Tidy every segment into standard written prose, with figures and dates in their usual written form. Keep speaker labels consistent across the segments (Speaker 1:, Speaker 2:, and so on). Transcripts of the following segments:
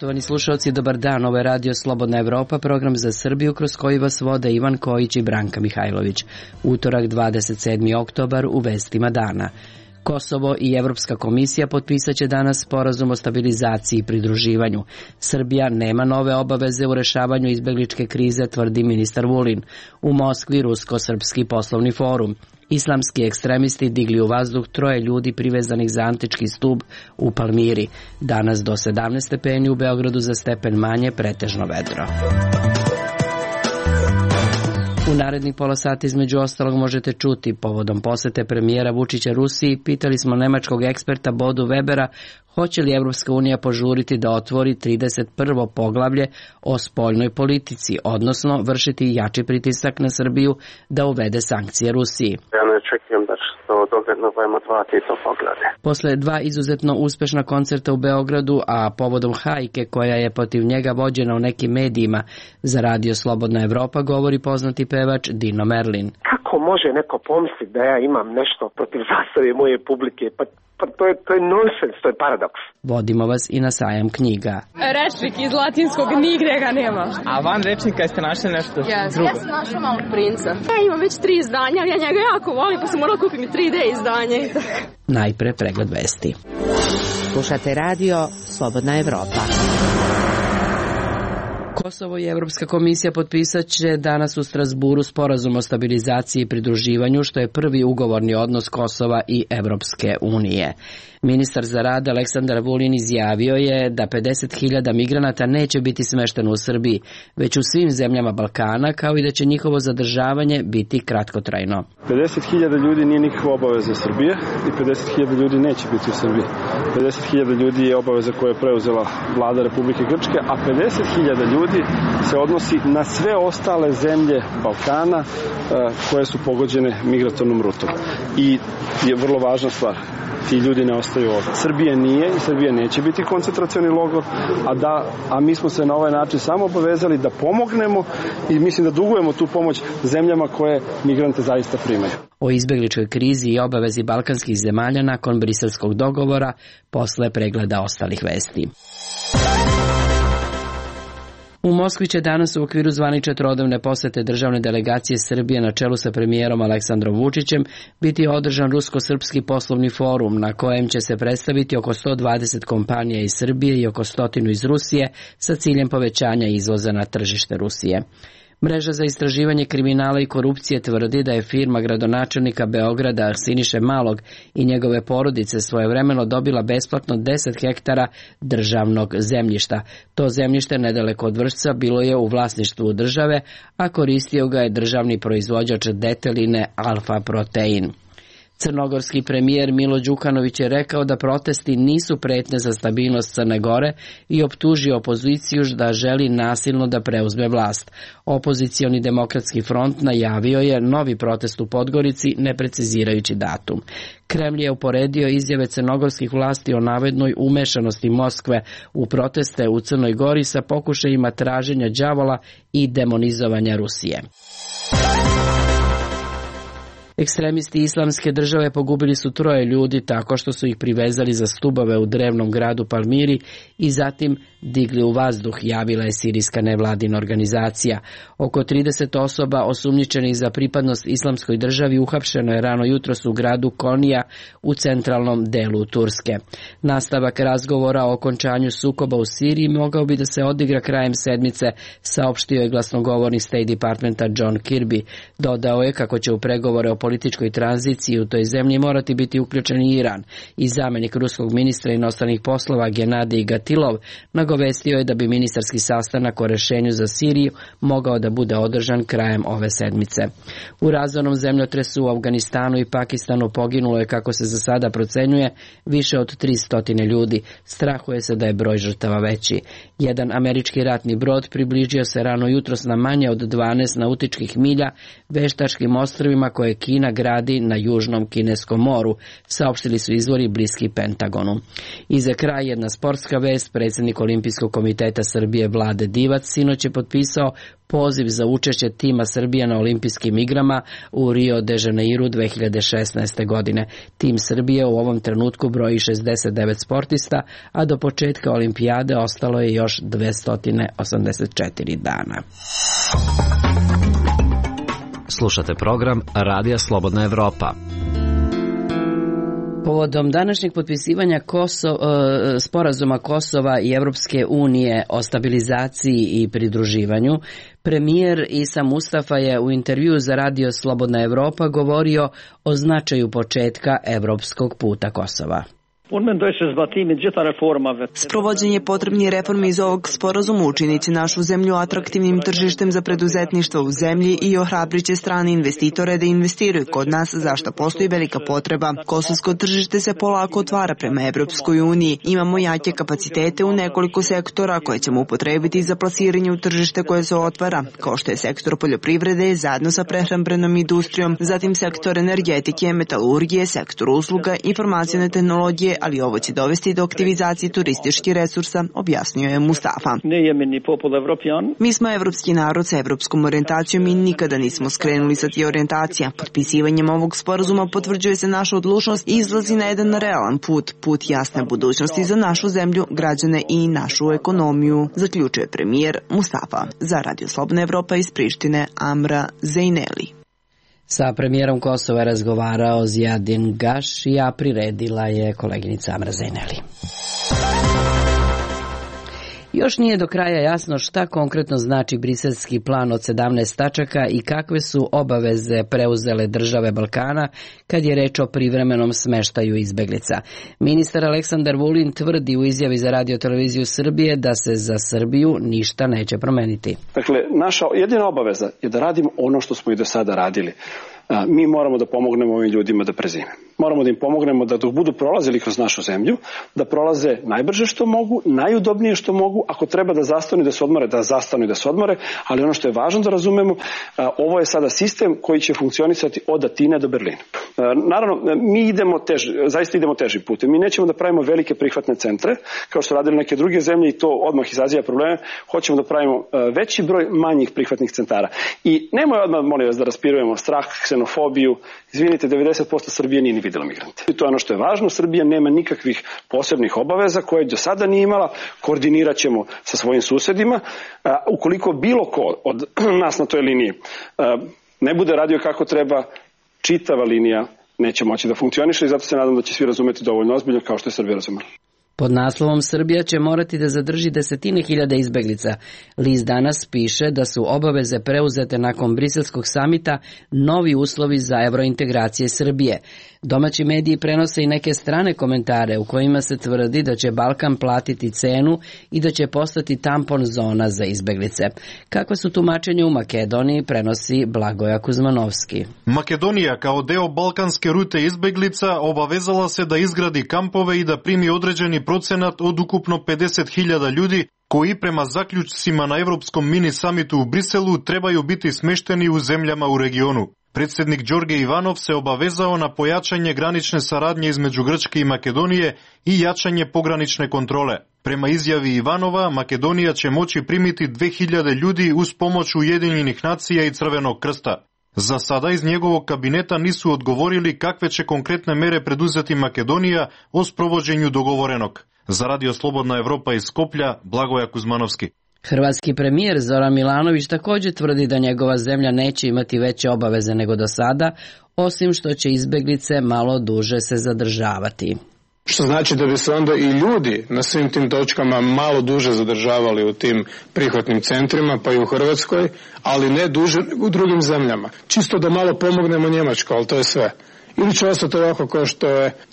Speaker 1: Poštovani slušalci, dobar dan. Ovo je Radio Slobodna Evropa, program za Srbiju kroz koji vas vode Ivan Kojić i Branka Mihajlović. Utorak 27. oktobar u vestima dana. Kosovo i Evropska komisija potpisat će danas sporazum o stabilizaciji i pridruživanju. Srbija nema nove obaveze u rešavanju izbegličke krize, tvrdi ministar Vulin. U Moskvi Rusko-srpski poslovni forum. Islamski ekstremisti digli u vazduh 3 ljudi privezanih za antički stub u Palmiri. Danas do 17 stepeni, u Beogradu za stepen manje, pretežno vedro. U narednih pola sata između ostalog možete čuti povodom posete premijera Vučića Rusiji. Pitali smo nemačkog eksperta Bodu Webera hoće li Evropska unija požuriti da otvori 31. poglavlje o spoljnoj politici, odnosno vršiti jači pritisak na Srbiju da uvede sankcije Rusiji.
Speaker 2: Ja ne očekujem da će to dogledno budemo otvoriti to poglavlje.
Speaker 1: Posle 2 izuzetno uspešna koncerta u Beogradu, a povodom hajke koja je protiv njega vođena u nekim medijima za Radio Slobodna Evropa, govori poznati pevač Dino Merlin.
Speaker 3: Kako može neko pomisliti da ja imam nešto protiv zastave moje publike? Pa to je nonsens, to je paradoks.
Speaker 1: Vodimo vas i na sajam knjiga.
Speaker 4: Rečnik iz latinskog nigde ga nema.
Speaker 5: A van rečnika jeste našli nešto drugo?
Speaker 4: Ja sam našla Malog princa. Ja imam već 3 izdanja, ja njega jako volim, pa sam morala kupiti 3D izdanje.
Speaker 1: Najpre pregled vesti.
Speaker 6: Slušate Radio Slobodna Evropa.
Speaker 1: Kosovo i Evropska komisija potpisat će danas u Strasburu sporazum o stabilizaciji i pridruživanju, što je prvi ugovorni odnos Kosova i Evropske unije. Ministar za rad Aleksandar Vulin izjavio je da 50.000 migranata neće biti smešteno u Srbiji, već u svim zemljama Balkana, kao i da će njihovo zadržavanje biti kratkotrajno.
Speaker 7: 50.000 ljudi nije nikakva obaveza Srbije i 50.000 ljudi neće biti u Srbiji. 50.000 ljudi je obaveza koju je preuzela vlada Republike Grčke, a 50.000 ljudi se odnosi na sve ostale zemlje Balkana koje su pogođene migratornom rutom. I je vrlo važna stvar. Ti ljudi ne ostaju ovdje. Srbija nije i Srbija neće biti koncentracioni logor, a mi smo se na ovaj način samo obavezali da pomognemo i mislim da dugujemo tu pomoć zemljama koje migrante zaista primaju.
Speaker 1: O izbegličkoj krizi i obavezi balkanskih zemalja nakon briselskog dogovora posle pregleda ostalih vesti. U Moskvi će danas u okviru zvanične trodnevne posete državne delegacije Srbije na čelu sa premijerom Aleksandrom Vučićem biti održan Rusko-srpski poslovni forum na kojem će se predstaviti oko 120 kompanija iz Srbije i oko 100 iz Rusije sa ciljem povećanja izvoza na tržište Rusije. Mreža za istraživanje kriminala i korupcije tvrdi da je firma gradonačelnika Beograda Siniše Malog i njegove porodice svojevremeno dobila besplatno 10 hektara državnog zemljišta. To zemljište nedaleko od Vršca bilo je u vlasništvu države, a koristio ga je državni proizvođač deteline Alfa Protein. Crnogorski premijer Milo Đukanović je rekao da protesti nisu pretnja za stabilnost Crne Gore i optužio opoziciju da želi nasilno da preuzme vlast. Opozicioni demokratski front najavio je novi protest u Podgorici, ne precizirajući datum. Kremlj je uporedio izjave crnogorskih vlasti o navodnoj umešanosti Moskve u proteste u Crnoj Gori sa pokušajima traženja đavola i demonizovanja Rusije. Ekstremisti Islamske države pogubili su 3 ljudi tako što su ih privezali za stubove u drevnom gradu Palmiri i zatim digli u vazduh, javila je sirijska nevladina organizacija. Oko 30 osoba osumnjičenih za pripadnost Islamskoj državi uhapšeno je rano jutros u gradu Konija u centralnom delu Turske. Nastavak razgovora o okončanju sukoba u Siriji mogao bi da se odigra krajem sedmice, saopštio je glasnogovornik State Departmenta John Kirby. Dodao je kako će u pregovore o političkoj tranziciji u toj zemlji morati biti uključen i Iran i zamenik ruskog ministra inostranih poslova Genadij Gatilov nagovestio je da bi ministarski sastanak o rešenju za Siriju mogao da bude održan krajem ove sedmice. U razornom zemljotresu u Afganistanu i Pakistanu poginulo je, kako se za sada procenjuje, više od 300 ljudi. Strahuje se da je broj žrtava veći. Jedan američki ratni brod približio se rano jutros na manje od 12 nautičkih milja veštačkim ostrvima koje Kina Kina gradi na južnom kineskom moru, saopštili su izvori bliski Pentagonu. I za kraj jedna sportska vest, predsjednik Olimpijskog komiteta Srbije Vlade Divac sinoć je potpisao poziv za učešće tima Srbije na olimpijskim igrama u Rio de Janeiru 2016. godine. Tim Srbije u ovom trenutku broji 69 sportista, a do početka olimpijade ostalo je još 284 dana.
Speaker 8: Slušate program Radija Slobodna Evropa.
Speaker 1: Povodom današnjeg potpisivanja sporazuma Kosova i Evropske unije o stabilizaciji i pridruživanju, premijer Isa Mustafa je u intervjuu za Radio Slobodna Evropa govorio o značaju početka evropskog puta Kosova.
Speaker 9: Sprovođenje potrebnih reformi iz ovog sporazuma učiniti našu zemlju atraktivnim tržištem za preduzetništvo u zemlji i ohrabriće strane investitore da investiraju kod nas, za što postoji velika potreba. Kosovsko tržište se polako otvara prema Evropskoj uniji. Imamo jake kapacitete u nekoliko sektora koje ćemo upotrebiti za plasiranje u tržište koje se otvara, kao što je sektor poljoprivrede zajedno sa prehrambenom industrijom, zatim sektor energetike, metalurgije, sektor usluga, informacione tehnologije, ali ovo će dovesti do aktivizacije turističkih resursa, objasnio je Mustafa. Mi smo evropski narod sa evropskom orijentacijom i nikada nismo skrenuli sa tih orijentacija. Potpisivanjem ovog sporazuma potvrđuje se naša odlučnost i izlazi na jedan realan put jasne budućnosti za našu zemlju, građane i našu ekonomiju, zaključuje premijer Mustafa. Za Radio Slobodna Evropa iz Prištine, Amra Zejneli.
Speaker 1: Sa premijerom Kosova je razgovarao Zijadin Gaši, a priredila je koleginica Amra Zejneli. Još nije do kraja jasno šta konkretno znači briselski plan od 17 tačaka i kakve su obaveze preuzele države Balkana kad je reč o privremenom smeštaju izbeglica. Ministar Aleksandar Vulin tvrdi u izjavi za Radio televiziju Srbije da se za Srbiju ništa neće promeniti.
Speaker 7: Dakle, naša jedina obaveza je da radimo ono što smo i do sada radili. Mi moramo da pomognemo ovim ljudima da prezime. Moramo da im pomognemo da dok budu prolazili kroz našu zemlju, da prolaze najbrže što mogu, najudobnije što mogu, ako treba da zastanu i da se odmore, ali ono što je važno da razumemo, ovo je sada sistem koji će funkcionisati od Atine do Berlina. Naravno, mi zaista idemo težim putem. Mi nećemo da pravimo velike prihvatne centre, kao što radili neke druge zemlje i to odmah izaziva probleme. Hoćemo da pravimo veći broj manjih prihvatnih centara. I nemoj odmah, molim vas, da raspirujemo strah, ksenofobiju. Izvinite, 90% Srbije nije ni vidjela migrante. I to je ono što je važno. Srbija nema nikakvih posebnih obaveza koje do sada nije imala. Koordinirat ćemo sa svojim susedima. Ukoliko bilo ko od nas na toj liniji ne bude radio kako treba, čitava linija neće moći da funkcioniše i zato se nadam da će svi razumeti dovoljno ozbiljno kao što je Srbija razumela.
Speaker 1: Pod naslovom Srbija će morati da zadrži desetine hiljada izbeglica. List danas piše da su obaveze preuzete nakon briselskog samita novi uslovi za evrointegracije Srbije. Domaći mediji prenose i neke strane komentare u kojima se tvrdi da će Balkan platiti cenu i da će postati tampon zona za izbeglice. Kakve su tumačenja u Makedoniji, prenosi Blagoja Kuzmanovski.
Speaker 10: Makedonija kao deo balkanske rute izbeglica obavezala se da izgradi kampove i da primi određeni procenat od ukupno 50.000 ljudi koji prema zaključcima na Evropskom mini samitu u Briselu trebaju biti smešteni u zemljama u regionu. Predsjednik Đorđe Ivanov se obavezao na pojačanje granične saradnje između Grčke i Makedonije i jačanje pogranične kontrole. Prema izjavi Ivanova, Makedonija će moći primiti 2000 ljudi uz pomoć Ujedinjenih nacija i Crvenog krsta. Za sada iz njegovog kabineta nisu odgovorili kakve će konkretne mere preduzeti Makedonija o sprovođenju dogovorenog. Za Radio Slobodna Evropa iz Skoplja, Blagoja Kuzmanovski.
Speaker 1: Hrvatski premijer Zoran Milanović također tvrdi da njegova zemlja neće imati veće obaveze nego do sada, osim što će izbeglice malo duže se zadržavati.
Speaker 11: Što znači da bi se onda i ljudi na svim tim točkama malo duže zadržavali u tim prihvatnim centrima, pa i u Hrvatskoj, ali ne duže nego u drugim zemljama. Čisto da malo pomognemo Njemačkoj, ali to je sve. Ili će ostati ovako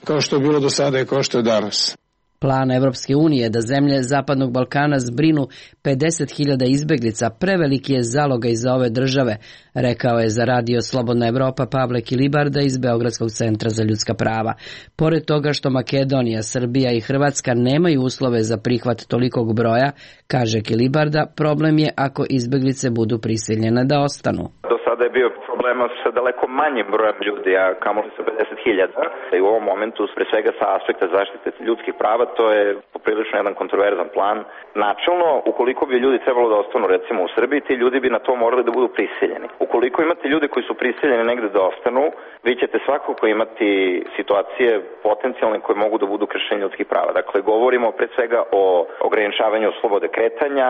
Speaker 11: kao što je bilo do sada i kao što je danas.
Speaker 1: Plan Evropske unije da zemlje Zapadnog Balkana zbrinu 50.000 izbeglica preveliki je zalogaj za ove države, rekao je za Radio Slobodna Evropa Pavle Kilibarda iz Beogradskog centra za ljudska prava. Pored toga što Makedonija, Srbija i Hrvatska nemaju uslove za prihvat tolikog broja, kaže Kilibarda, problem je ako izbeglice budu prisiljene da ostanu.
Speaker 2: Do sada je bio problem
Speaker 12: porazgovaramo sa daleko manjim brojem ljudi, a kamoli sa 50.000. I u ovom momentu, pre svega sa aspekta zaštite ljudskih prava, to je poprilično jedan kontroverzan plan. Načelno, ukoliko bi ljudi trebalo da ostanu recimo u Srbiji, ti ljudi bi na to morali da budu prisiljeni. Ukoliko imate ljude koji su prisiljeni negde da ostanu, vi ćete svakako imati situacije potencijalne koje mogu da budu kršenje ljudskih prava. Dakle, govorimo pre svega o ograničavanju slobode kretanja,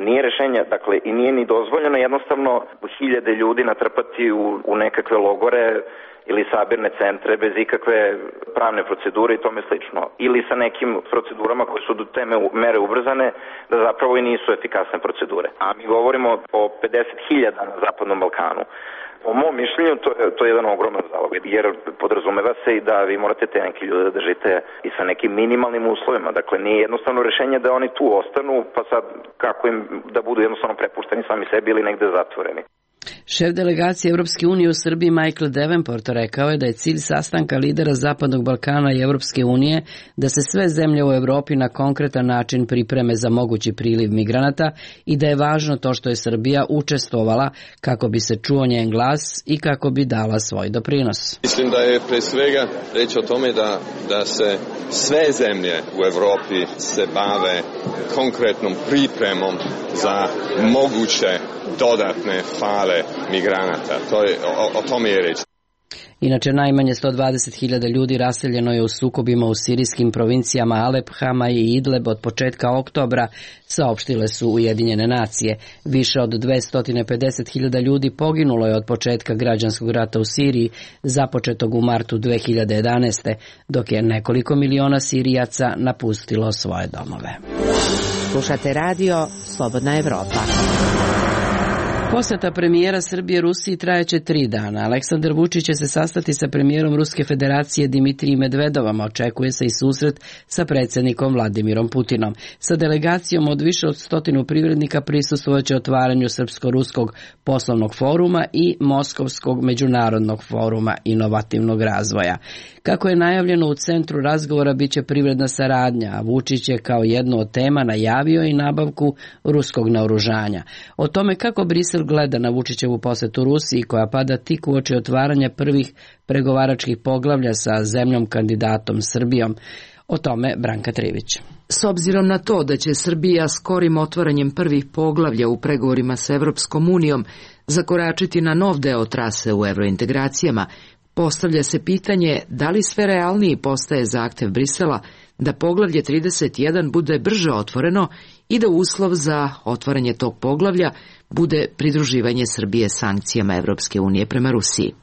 Speaker 12: nije rešenje, dakle, i nije ni dozvoljeno jednostavno hiljade ljudi natrpati u nekakve logore ili sabirne centre bez ikakve pravne procedure i tome slično. Ili sa nekim procedurama koje su do te mere ubrzane da zapravo i nisu efikasne procedure. A mi govorimo o 50.000 na Zapadnom Balkanu. Po mom mišljenju to je jedan ogroman zalog, jer podrazumeva se i da vi morate te neki ljude da držite i sa nekim minimalnim uslovima. Dakle, nije jednostavno rešenje da oni tu ostanu, pa sad kako im da budu jednostavno prepušteni sami sebi ili negde zatvoreni.
Speaker 1: Šef delegacije Evropske unije u Srbiji Michael Davenport rekao je da je cilj sastanka lidera Zapadnog Balkana i Evropske unije da se sve zemlje u Evropi na konkretan način pripreme za mogući priliv migranata i da je važno to što je Srbija učestvovala kako bi se čuo njen glas i kako bi dala svoj doprinos.
Speaker 13: Mislim da je pre svega reč o tome da se sve zemlje u Evropi se bave konkretnom pripremom za moguće dodatne fale migranata. O tome je reč.
Speaker 1: Inače, najmanje 120.000 ljudi raseljeno je u sukobima u sirijskim provincijama Alep, Hama i Idleb od početka oktobra, saopštile su Ujedinjene nacije. Više od 250.000 ljudi poginulo je od početka građanskog rata u Siriji, započetog u martu 2011. dok je nekoliko miliona Sirijaca napustilo svoje domove.
Speaker 6: Slušate radio Slobodna Evropa.
Speaker 1: Poseta premijera Srbije Rusiji trajaće 3 dana. Aleksandar Vučić će se sastati sa premijerom Ruske federacije Dimitrijem Medvedovom, očekuje se i susret sa predsjednikom Vladimirom Putinom. Sa delegacijom od više od 100 privrednika prisustvovaće otvaranju Srpsko-ruskog poslovnog foruma i Moskovskog međunarodnog foruma inovativnog razvoja. Kako je najavljeno, u centru razgovora biće privredna saradnja, a Vučić je kao jednu od tema najavio i nabavku ruskog naoružanja. O tome kako Brisel gleda na Vučićevu posetu Rusiji, koja pada tik uoči otvaranja prvih pregovaračkih poglavlja sa zemljom kandidatom Srbijom. O tome Branka Trivić.
Speaker 14: S obzirom na to da će Srbija skorim otvaranjem prvih poglavlja u pregovorima sa Evropskom unijom zakoračiti na nov deo trase u evrointegracijama, postavlja se pitanje da li sve realniji postaje zahtev Brisela da poglavlje 31 bude brže otvoreno i da uslov za otvaranje tog poglavlja bude pridruživanje Srbije sankcijama Evropske unije prema Rusiji.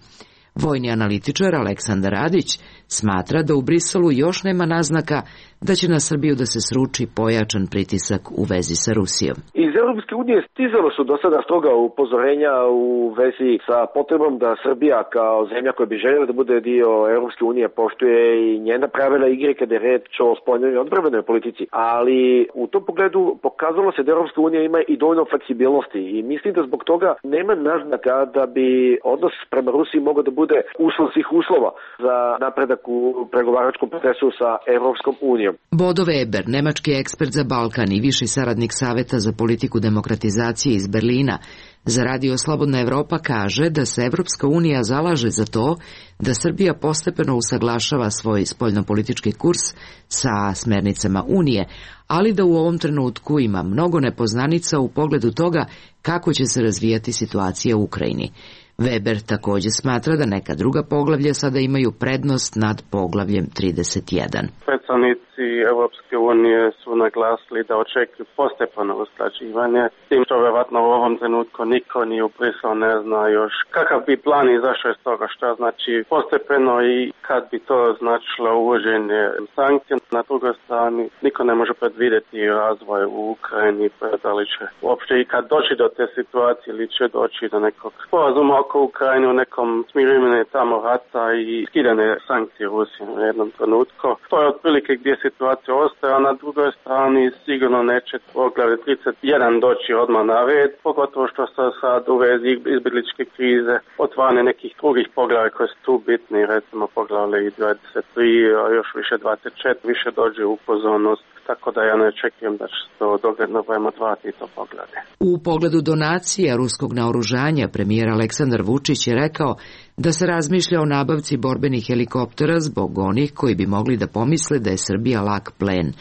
Speaker 14: Vojni analitičar Aleksandar Radić smatra da u Briselu još nema naznaka da će na Srbiju da se sruči pojačan pritisak u vezi sa Rusijom.
Speaker 3: Iz Europske unije stizalo su do sada stroga upozorenja u vezi sa potrebom da Srbija kao zemlja koja bi željela da bude dio Europske unije poštuje i njena pravila igre kada je reč o spoljnoj i odbrambenoj politici. Ali u tom pogledu pokazalo se da Europska unija ima i dovoljno fleksibilnosti i mislim da zbog toga nema naznaka da bi odnos prema Rusiji mogao da bude uslov svih uslova za napredak u pregovaračkom procesu sa Europskom unijom.
Speaker 14: Bodo Weber, nemački ekspert za Balkan i viši saradnik Saveta za politiku demokratizacije iz Berlina, za Radio Slobodna Evropa kaže da se Evropska unija zalaže za to da Srbija postepeno usaglašava svoj spoljnopolitički kurs sa smernicama Unije, ali da u ovom trenutku ima mnogo nepoznanica u pogledu toga kako će se razvijati situacija u Ukrajini. Weber također smatra da neka druga poglavlja sada imaju prednost nad poglavljem 31.
Speaker 2: Predstavnici Evropske unije su naglasili da očekuju postepeno usklađivanje, tim što vjerovatno u ovom trenutku niko ni u Briselu ne zna još kakav bi plan izašao iz toga, što znači postepeno i kad bi to značilo uvođenje sankcija. Na drugoj strani niko ne može predvidjeti razvoj u Ukrajini, da li će uopšte i kad doći do te situacije ili će doći do nekog sporazuma oko Ukrajine u nekom smirivanje tamo rata i skidane sankcije Rusije u jednom trenutku. To je otprilike gdje situacija ostaje, a na drugoj strani sigurno neće poglavlje 31 doći odmah na red, pogotovo što se sad u vezi izbjegličke krize otvarane nekih drugih poglavlja koje su tu bitni, recimo poglavlje 23, a još više 24, više dođe u pozornost tako da ja ne očekujem da će se to dogledno vreme odvati to poglede.
Speaker 14: U pogledu donacija ruskog naoružanja premijer Aleksandar Vučić je rekao da se razmišlja o nabavci borbenih helikoptera zbog onih koji bi mogli da pomisle da je Srbija lak plen.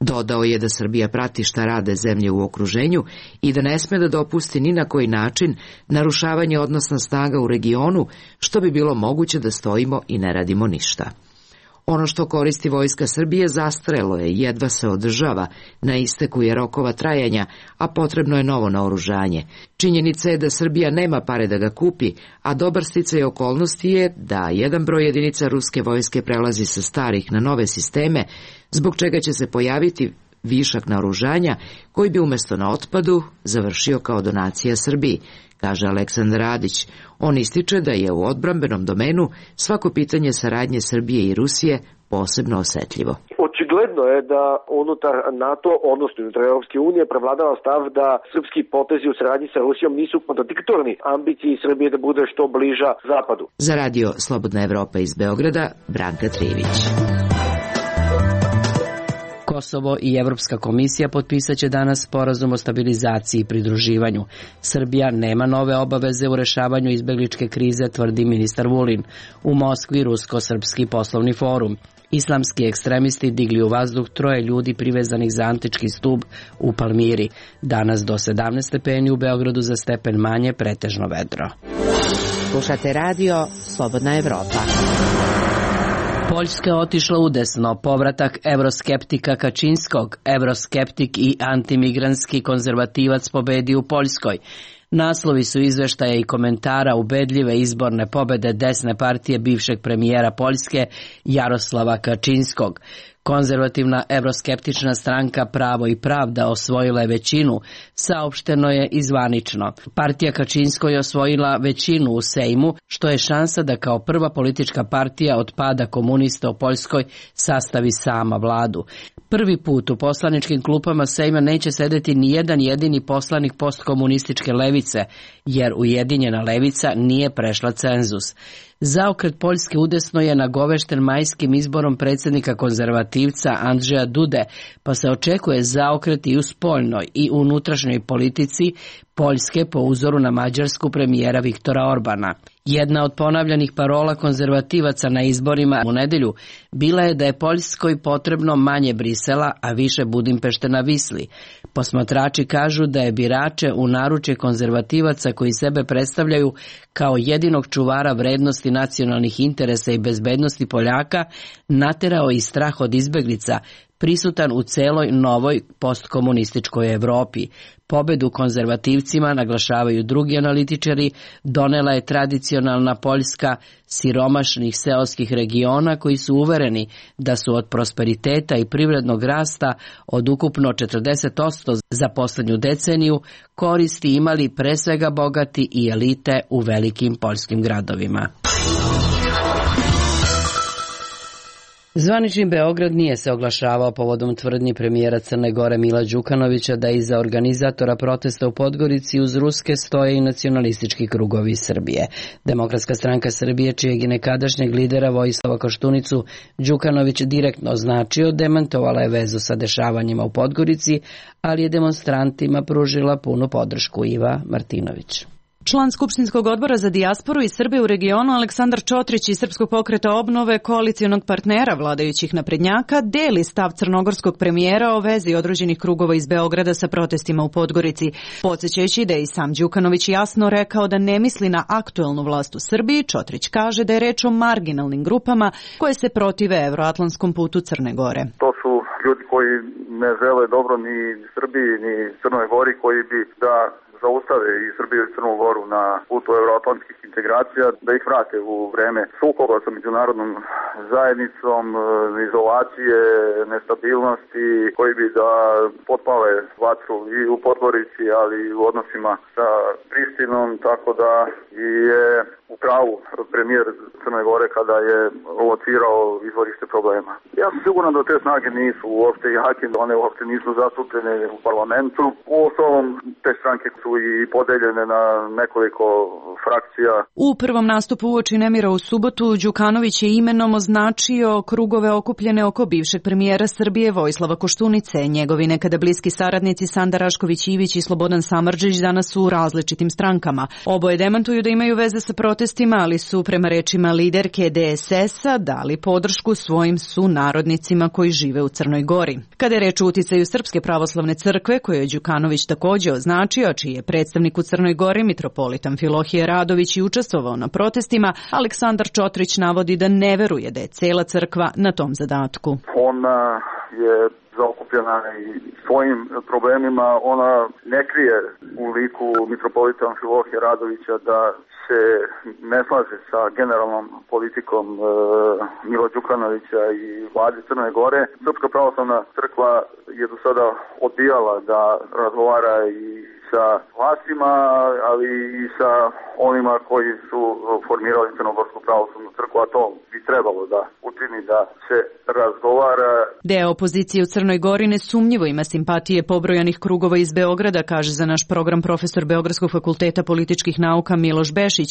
Speaker 14: Dodao je da Srbija prati šta rade zemlje u okruženju i da ne sme da dopusti ni na koji način narušavanje odnosa snaga u regionu, što bi bilo moguće da stojimo i ne radimo ništa. Ono što koristi Vojska Srbije zastarelo je, jedva se održava, na isteku je rokova trajanja, a potrebno je novo naoružanje. Činjenica je da Srbija nema pare da ga kupi, a dobar sticaj okolnosti je da jedan broj jedinica ruske vojske prelazi sa starih na nove sisteme, zbog čega će se pojaviti višak naoružanja koji bi umjesto na otpadu završio kao donacija Srbiji, kaže Aleksandar Radić. On ističe da je u odbrambenom domenu svako pitanje saradnje Srbije i Rusije posebno osetljivo.
Speaker 3: Očigledno je da unutar NATO, odnosno unutar Europske unije, prevladava stav da srpski potezi u saradnji sa Rusijom nisu kontradiktorni ambiciji Srbije da bude što bliža Zapadu.
Speaker 14: Za radio Slobodna Evropa iz Beograda, Branka Trivić.
Speaker 1: Kosovo i Evropska komisija potpisat će danas sporazum o stabilizaciji i pridruživanju. Srbija nema nove obaveze u rešavanju izbegličke krize, tvrdi ministar Vulin. U Moskvi Rusko-srpski poslovni forum. Islamski ekstremisti digli u vazduh 3 ljudi privezanih za antički stub u Palmiri. Danas do 17 stepeni, u Beogradu za stepen manje, pretežno vedro.
Speaker 6: Slušate radio Slobodna Evropa.
Speaker 1: Poljska je otišla udesno, povratak evroskeptika Kačinskog, evroskeptik i antimigranski konzervativac pobedi u Poljskoj. Naslovi su izveštaja i komentara ubedljive izborne pobede desne partije bivšeg premijera Poljske Jaroslava Kačinskog. Konzervativna evroskeptična stranka Pravo i pravda osvojila je većinu, saopšteno je i zvanično. Partija Kačinsko je osvojila većinu u Sejmu, što je šansa da kao prva politička partija od pada komunista u Poljskoj sastavi sama vladu. Prvi put u poslaničkim klupama Sejma neće sedeti ni jedan jedini poslanik postkomunističke levice, jer Ujedinjena levica nije prešla cenzus. Zaokret Poljske udesno je nagovešten majskim izborom predsjednika konzervativca Andrzeja Dude, pa se očekuje zaokret i u spoljnoj i unutrašnjoj politici Poljske po uzoru na mađarsku premijera Viktora Orbana. Jedna od ponavljanih parola konzervativaca na izborima u nedelju bila je da je Poljskoj potrebno manje Brisela, a više Budimpešte na Visli. Posmatrači kažu da je birače u naručje konzervativaca koji sebe predstavljaju kao jedinog čuvara vrednosti nacionalnih interesa i bezbednosti Poljaka naterao i strah od izbeglica, prisutan u celoj novoj postkomunističkoj Evropi. Pobedu konzervativcima, naglašavaju drugi analitičari, donela je tradicionalna Poljska siromašnih seoskih regiona koji su uvereni da su od prosperiteta i privrednog rasta od ukupno 40% za poslednju deceniju koristi imali pre svega bogati i elite u velikim poljskim gradovima. Zvanični Beograd nije se oglašavao povodom tvrdnji premijera Crne Gore Mila Đukanovića da iza organizatora protesta u Podgorici uz Ruske stoje i nacionalistički krugovi Srbije. Demokratska stranka Srbije, čijeg i nekadašnjeg lidera Vojislava Koštunicu Đukanović direktno označio, demantovala je vezu sa dešavanjima u Podgorici, ali je demonstrantima pružila punu podršku. Iva Martinović.
Speaker 15: Član Skupštinskog odbora za dijasporu i Srbe u regionu Aleksandar Čotrić iz Srpskog pokreta obnove, koalicijonog partnera vladajućih naprednjaka, deli stav crnogorskog premijera o vezi određenih krugova iz Beograda sa protestima u Podgorici, podsjećajući da je i sam Đukanović jasno rekao da ne misli na aktuelnu vlast u Srbiji. Čotrić kaže da je reč o marginalnim grupama koje se protive evroatlantskom putu Crne Gore.
Speaker 16: To su ljudi koji ne žele dobro ni Srbiji ni Crnoj Gori, koji bi da zaustave i Srbiju i Crnu Goru na putu euroatlantskih integracija, da ih vrate u vreme sukoba sa međunarodnom zajednicom, izolacije, nestabilnosti, koji bi da potpale vatru i u Podgorici, ali i u odnosima sa Prištinom, tako da je u pravu premijer Crne Gore kada je locirao izvorište problema. Ja sam siguran da te snage nisu uopšte jake, one uopšte nisu zastupljene u parlamentu. U osnovom te stranke su i podeljene na nekoliko frakcija.
Speaker 15: U prvom nastupu uoči nemira u subotu Đukanović je imenom označio krugove okupljene oko bivšeg premijera Srbije Vojislava Koštunice. Njegovi nekada bliski saradnici Sanda Rašković-Ivić i Slobodan Samardžić danas su u različitim strankama. Oboje demantuju da imaju veze sa protestima, ali su prema rečima liderke DSS-a dali podršku svojim sunarodnicima koji žive u Crnoj Gori. Kada je reč o uticaju Srpske pravoslavne crkve, koju je Đukanović takođe označio, čiji je predstavnik u Crnoj Gori, mitropolitan Amfilohije Radović, i učestvovao na protestima, Aleksandar Čotrić navodi da ne veruje da je cela crkva na tom zadatku.
Speaker 16: Ona je zaokupljena i svojim problemima, ona ne krije u liku mitropolita Amfilohije Radovića da se ne slaže sa generalnom politikom Mila Đukanovića i vlade Crne Gore. Srpska pravoslavna crkva je do sada odbijala da razgovara i sa vlastima, ali i sa onima koji su formirali Crnogorsku pravoslavnu crkvu, a to bi trebalo da učini da se razgovara.
Speaker 15: Deo opozicije u Crnoj Gori nesumnjivo ima simpatije pobrojanih krugova iz Beograda, kaže za naš program profesor Beogradskog fakulteta političkih nauka Miloš Bešić,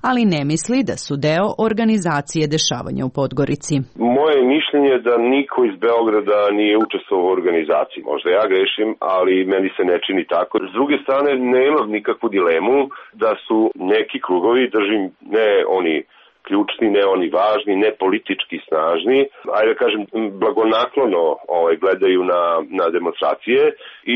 Speaker 15: ali ne misli da su deo organizacije dešavanja u Podgorici.
Speaker 17: Moje mišljenje je da niko iz Beograda nije učestvovao u organizaciji. Možda ja grešim, ali meni se ne čini tako. S druge strane, nemam nikakvu dilemu da su neki krugovi, držim, ne oni ključni, ne oni važni, ne politički snažni, ajde da kažem, blagonaklono gledaju na demonstracije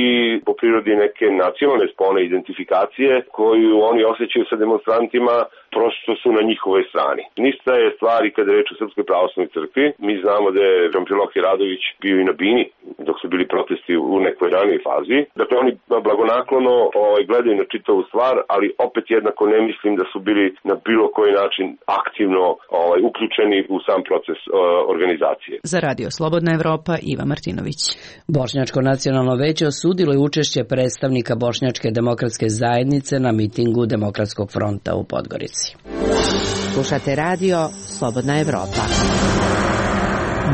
Speaker 17: i po prirodi neke nacionalne spone identifikacije koju oni osjećaju sa demonstrantima, prosto su na njihovoj strani. Nista je stvari kada je reč o Srpskoj pravoslavnoj crkvi. Mi znamo da je Amfilohije Radović bio i na Bini dok su bili protesti u nekoj ranijoj fazi. Dakle, oni blagonaklono gledaju na čitavu stvar, ali opet jednako ne mislim da su bili na bilo koji način aktivno uključeni u sam proces organizacije.
Speaker 15: Za Radio Slobodna Evropa, Iva Martinović.
Speaker 1: Bošnjačko nacionalno veće osudilo je učešće predstavnika Bošnjačke demokratske zajednice na mitingu Demokratskog fronta u Podgorici.
Speaker 6: Slušate Radio Slobodna Evropa.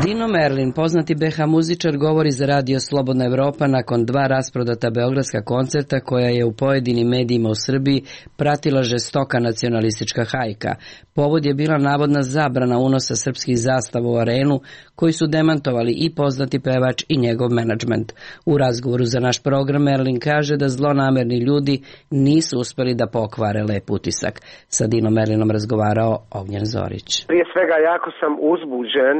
Speaker 1: Dino Merlin, poznati BH muzičar, govori za Radio Slobodna Evropa nakon 2 rasprodata beogradska koncerta koja je u pojedinim medijima u Srbiji pratila žestoka nacionalistička hajka. Povod je bila navodna zabrana unosa srpskih zastava u arenu, koji su demantovali i poznati pevač i njegov menadžment. U razgovoru za naš program Merlin kaže da zlonamerni ljudi nisu uspeli da pokvare lep utisak. Sa Dino Merlinom razgovarao Ognjen Zorić.
Speaker 18: Prije svega jako sam uzbuđen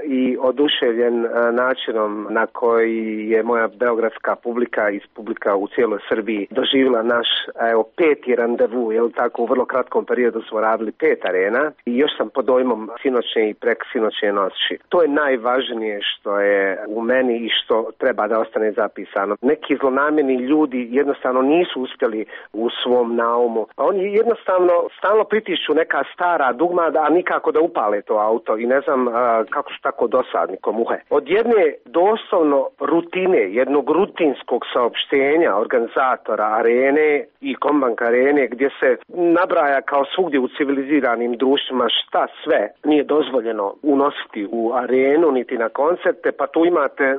Speaker 18: i oduševljen načinom na koji je moja beogradska publika i publika u cijeloj Srbiji doživjela naš 5. randevu, tako u vrlo kratkom periodu smo radili 5 arena i još sam pod dojmom sinoćne i preksinoćne noći. To je najvažnije što je u meni i što treba da ostane zapisano. Neki zlonamjerni ljudi jednostavno nisu uspjeli u svom naumu. Oni jednostavno stalno pritišću neka stara dugma, a nikako da upale to auto i ne znam kako su tako dosadni ko muhe. Od jedne doslovno rutine, jednog rutinskog saopštenja organizatora arene i Kombank arene gdje se nabraja kao svugdje u civiliziranim društvima šta sve nije dozvoljeno unositi u arenu niti na koncerte, pa tu imate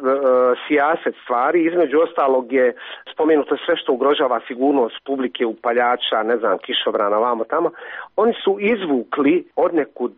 Speaker 18: sijaset stvari, između ostalog je spomenuto sve što ugrožava sigurnost publike, upaljača, ne znam, kišobrana, vamo tamo. Oni su izvukli odnekud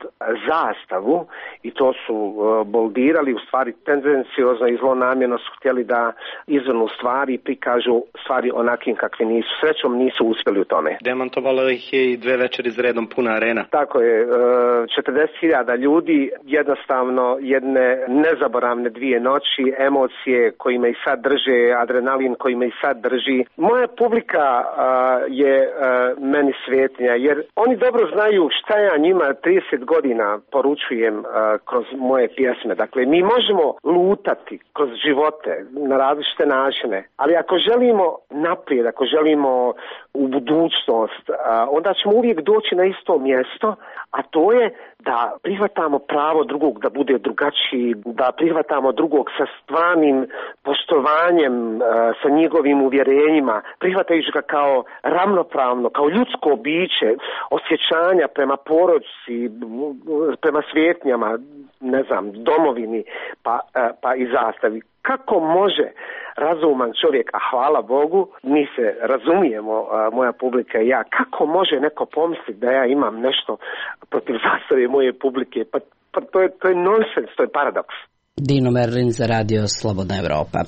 Speaker 18: zastavu i to su boldirali, u stvari tendenciozno i zlonamjerno su htjeli da izvrnu stvari i prikažu stvari onakim kakvi nisu. Srećom nisu uspjeli u tome.
Speaker 19: Demantovalo ih je i 2 večeri za redom puna arena.
Speaker 18: Tako je, 40.000 ljudi, jednostavno jedne nezaboravne 2 noći, emocije koji me i sad drže, adrenalin koji me i sad drži. Moja publika je meni svetinja, jer oni dobro znaju šta ja njima 30 godina poručujem kroz moje pjesme. Dakle, mi možemo lutati kroz živote na različite načine, ali ako želimo naprijed, ako želimo u budućnost, onda ćemo uvijek doći na isto mjesto, a to je da prihvatamo pravo drugog da bude drugačiji, da prihvatamo drugog sa stvarnim poštovanjem, sa njegovim uvjerenjima, prihvatajući ga kao ravnopravno, kao ljudsko biće, osjećanja prema porodici, prema svijetnjama. domovini pa i zastavi. Kako može razuman čovjek, a hvala Bogu, mi se razumijemo, moja publika i ja, kako može neko pomisliti da ja imam nešto protiv zastave moje publike? Pa to je nonsens, to je paradoks.
Speaker 1: Dino Merlin za Radio Slobodna Evropa.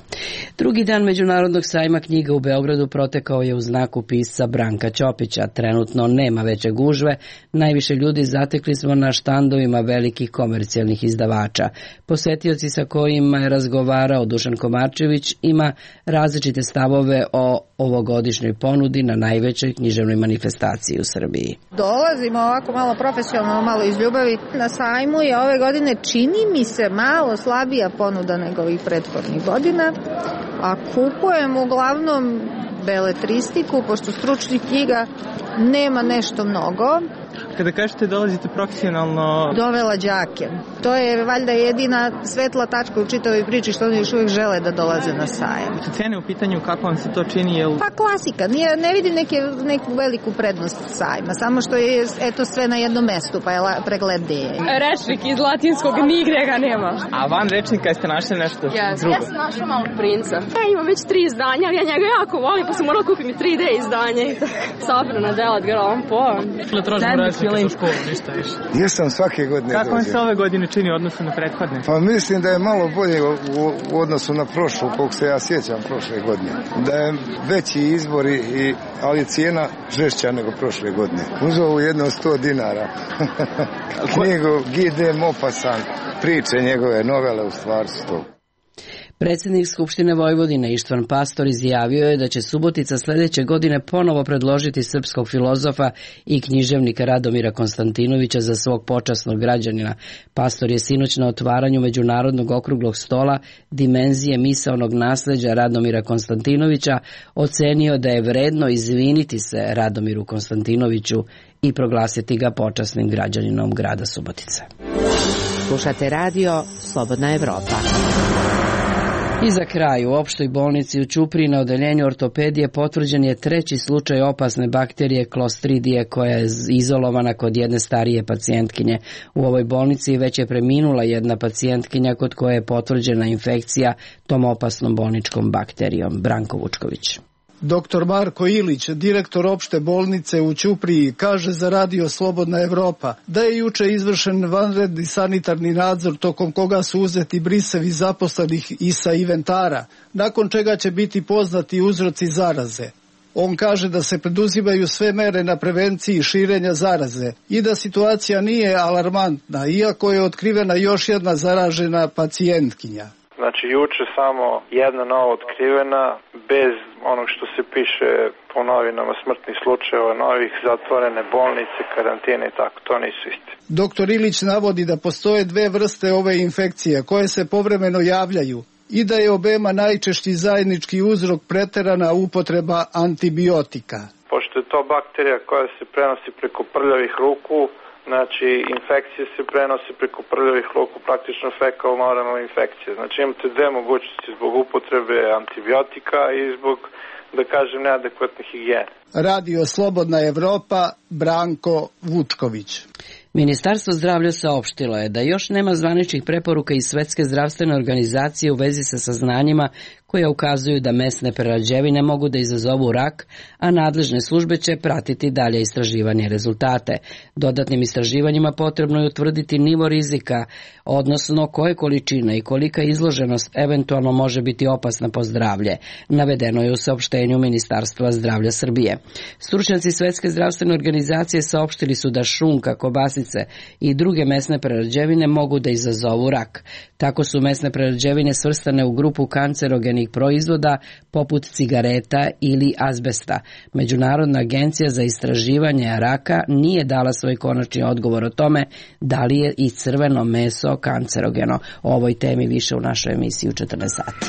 Speaker 1: Drugi dan Međunarodnog sajma knjiga u Beogradu protekao je u znaku pisca Branka Ćopića. Trenutno nema veće gužve, najviše ljudi zatekli smo na štandovima velikih komercijalnih izdavača. Posetioci sa kojima je razgovarao Dušan Komarčević ima različite stavove o ovogodišnjoj ponudi na najvećoj književnoj manifestaciji u Srbiji.
Speaker 20: Dolazimo ovako malo profesionalno, malo iz ljubavi. Na sajmu je ove godine, čini mi se, malo slabija ponuda nego ovih prethodnih godina, a kupujem uglavnom beletristiku, pošto stručnih knjiga nema nešto mnogo.
Speaker 5: Kada kažete dolazite profesionalno...
Speaker 20: Dovela đake. To je valjda jedina svetla tačka u čitavoj priči što oni još uvijek žele da dolaze na sajam.
Speaker 5: Cene u pitanju, kako vam se to čini?
Speaker 20: Pa klasika. Ne vidim neku veliku prednost sajma. Samo što je sve na jednom mestu, pa je preglednije.
Speaker 4: Rečnik iz latinskog nigde ga nema.
Speaker 5: A van rečnika jeste našli nešto drugo?
Speaker 4: Ja sam našla Malog princa. Ja imam već 3 izdanja, ali ja njega jako volim, pa sam morala kupiti mi 3D izdanje. Sabrana delat grom po.
Speaker 21: Jesam svake godine.
Speaker 5: Kako vam se ove godine čini u odnosu na prethodne?
Speaker 21: Pa mislim da je malo bolje u odnosu na prošlu, koliko se ja sjećam prošle godine. Da je veći izbor, ali je cijena žešća nego prošle godine. Uzeo jedno 100 dinara. Knjigu G.D. Mopasan, priče njegove novele u stvari su to.
Speaker 1: Predsjednik Skupštine Vojvodine Ištvan Pastor izjavio je da će Subotica sljedeće godine ponovo predložiti srpskog filozofa i književnika Radomira Konstantinovića za svog počasnog građanina. Pastor je sinoć na otvaranju Međunarodnog okruglog stola dimenzije misaonog nasleđa Radomira Konstantinovića ocenio da je vredno izviniti se Radomiru Konstantinoviću i proglasiti ga počasnim građaninom grada Subotice.
Speaker 6: Slušate radio Slobodna Evropa.
Speaker 1: I za kraj, u opštoj bolnici u Ćupriji na odeljenju ortopedije potvrđen je 3. slučaj opasne bakterije Clostridije koja je izolovana kod jedne starije pacijentkinje. U ovoj bolnici već je preminula jedna pacijentkinja kod koje je potvrđena infekcija tom opasnom bolničkom bakterijom. Branko Vučković.
Speaker 22: Dr. Marko Ilić, direktor opšte bolnice u Ćupriji, kaže za Radio Slobodna Evropa da je juče izvršen vanredni sanitarni nadzor tokom koga su uzeti brisevi zaposlenih i sa inventara, nakon čega će biti poznati uzroci zaraze. On kaže da se preduzimaju sve mere na prevenciji širenja zaraze i da situacija nije alarmantna, iako je otkrivena još jedna zaražena pacijentkinja.
Speaker 23: Znači, juče samo jedna nova otkrivena, bez onog što se piše po novinama smrtnih slučajeva, novih, zatvorene bolnice, karantine i tako, to nisu isti.
Speaker 22: Doktor Ilić navodi da postoje 2 vrste ove infekcije koje se povremeno javljaju i da je obema najčešći zajednički uzrok preterana upotreba antibiotika.
Speaker 23: Pošto je to bakterija koja se prenosi preko prljavih ruku, znači, infekcije se prenose preko prljavih ruku, praktično fekalno-oralna infekcija. Znači, imate 2 mogućnosti zbog upotrebe antibiotika i zbog, da kažem, neadekvatne higijene.
Speaker 22: Radio Slobodna Evropa, Branko Vučković.
Speaker 1: Ministarstvo zdravlja saopštilo je da još nema zvaničnih preporuka iz Svetske zdravstvene organizacije u vezi sa saznanjima koja ukazuju da mesne prerađevine mogu da izazovu rak, a nadležne službe će pratiti dalje istraživanje rezultate. Dodatnim istraživanjima potrebno je utvrditi nivo rizika, odnosno koje količine i kolika izloženost eventualno može biti opasna po zdravlje, navedeno je u saopštenju Ministarstva zdravlja Srbije. Stručnjaci Svetske zdravstvene organizacije saopštili su da šunka, kobasice i druge mesne prerađevine mogu da izazovu rak. Tako su mesne prerađevine svrstane u grupu kancerogenih proizvoda poput cigareta ili azbesta. Međunarodna agencija za istraživanje raka nije dala svoj konačni odgovor o tome da li je i crveno meso kancerogeno. O ovoj temi više u našoj emisiji u 14 sati.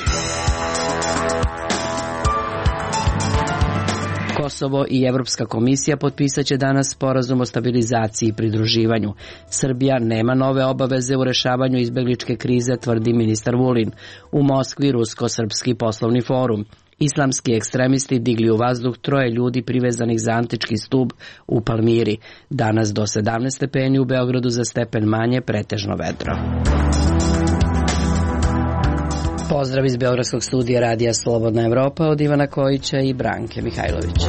Speaker 1: Kosovo i Evropska komisija potpisat će danas sporazum o stabilizaciji i pridruživanju. Srbija nema nove obaveze u rešavanju izbegličke krize, tvrdi ministar Vulin. U Moskvi Rusko-srpski poslovni forum. Islamski ekstremisti digli u vazduh 3 ljudi privezanih za antički stub u Palmiri. Danas do 17 stepeni, u Beogradu za stepen manje, pretežno vedro. Pozdrav iz Beogradskog studija Radija Slobodna Evropa od Ivana Kojića i Branke Mihajlović.